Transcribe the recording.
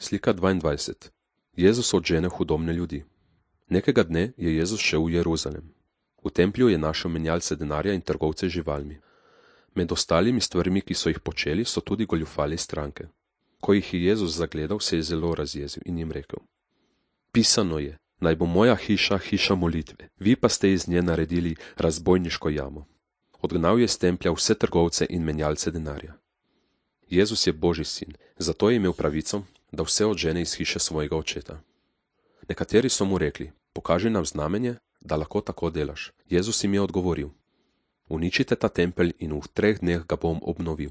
Slika 22. Jezus odžene hudobne ljudi. Nekega dne je Jezus šel v Jeruzalem. V templju je našel menjalce denarja in trgovce z živalmi. Med ostalimi stvarmi, ki so jih počeli, so tudi goljufali stranke. Ko jih je Jezus zagledal, se je zelo razjezil in jim rekel: Pisano je, naj bo moja hiša hiša molitve, vi pa ste iz nje naredili razbojniško jamo. Odgnal je iz templja vse trgovce in menjalce denarja. Jezus je Božji sin, zato je imel pravico, da vse odžene iz hiše svojega očeta. Nekateri so mu rekli: Pokaži nam znamenje, da lahko tako delaš. Jezus jim je odgovoril: Uničite ta tempelj in v 3 dneh ga bom obnovil.